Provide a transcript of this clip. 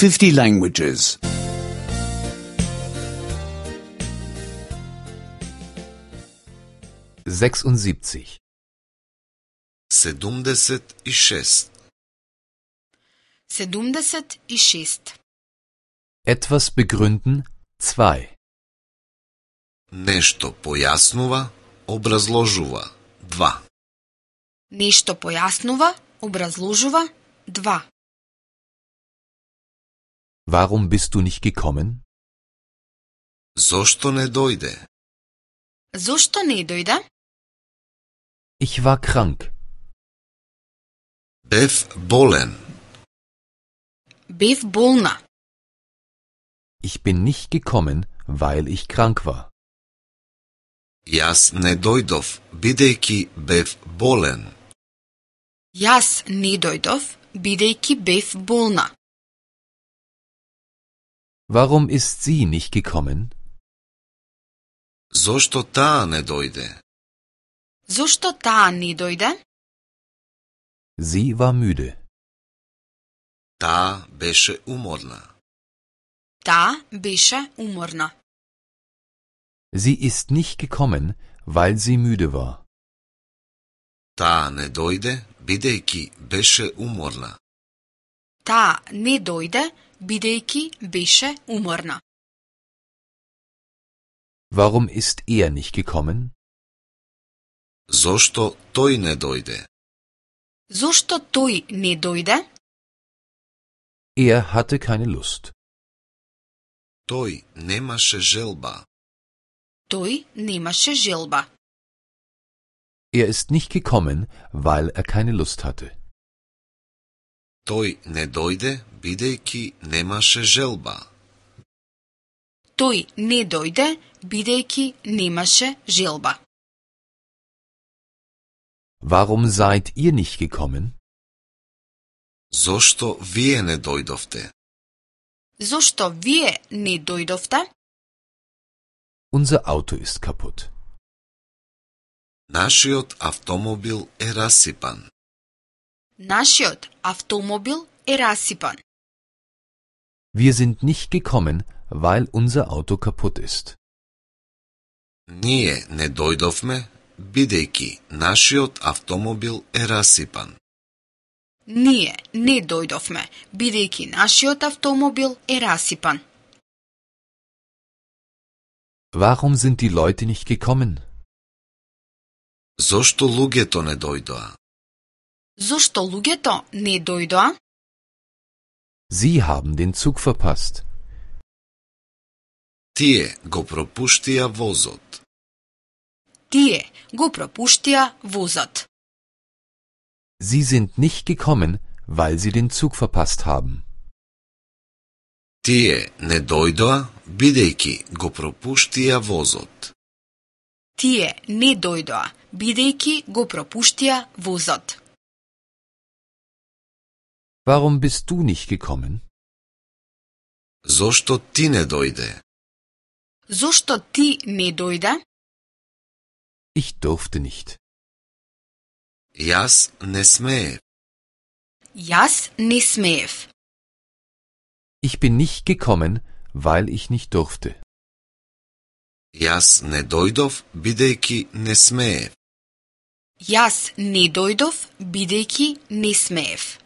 50 languages. 76. 76. 76. Etwas begründen 2. Нешто појаснува, образложува. 2. Нешто појаснува, образложува. 2. Warum bist du nicht gekommen? Зошто не дојде? Зошто не дојде? Ich war krank. Бев болен. Бев болна. Ich bin nicht gekommen, weil ich krank war. Јас не дојдов, бидејќи бев болен. Јас не дојдов, бидејќи бев болна. Warum ist sie nicht gekommen? Зошто таа не дојде? Зошто таа не дојде? Sie war müde. Таа беше уморна. Таа беше уморна. Sie ist nicht gekommen, weil sie müde war. Таа не дојде, бидејќи беше уморна. Таа не дојде, бидејќи беше уморна. Warum ist er nicht gekommen? Зошто тој не дојде? Зошто тој не дојде? Er hatte keine Lust. Тој немаше желба. Тој немаше желба. Er ist nicht gekommen, weil er keine Lust hatte. Тој не дојде, бидејќи немаше желба. Тој не дојде, бидејќи немаше желба. Warum seid ihr nicht gekommen? Зошто вие не дојдовте? Зошто вие не дојдовте? Unser Auto ist kaputt. Нашиот автомобил е расипан. Нашиот автомобил е расипан. Wir sind nicht gekommen, weil unser Auto kaputt ist. Ние не дојдовме, бидејќи нашиот автомобил е расипан. Ние не дојдовме, бидејќи нашиот автомобил е расипан. Warum sind die Leute nicht gekommen? Зошто луѓето не дојдоа? Зошто луѓето не дојдоа? Sie haben den Zug verpasst. Тие го пропуштија возот. Тие го пропуштија возот. Sie sind nicht gekommen, weil sie den Zug verpasst haben. Тие не дојдоа, бидејќи го пропуштија возот. Тие не дојдоа, бидејќи го пропуштија возот. Warum bist du nicht gekommen? Зошто ти не дојде? Зошто ти не дојде? Ich durfte nicht. Јас не смеев. Јас не смеев. Ich bin nicht gekommen, weil ich nicht durfte. Јас не дојдов, бидејќи не смеев. Јас не дојдов, бидејќи не смеев.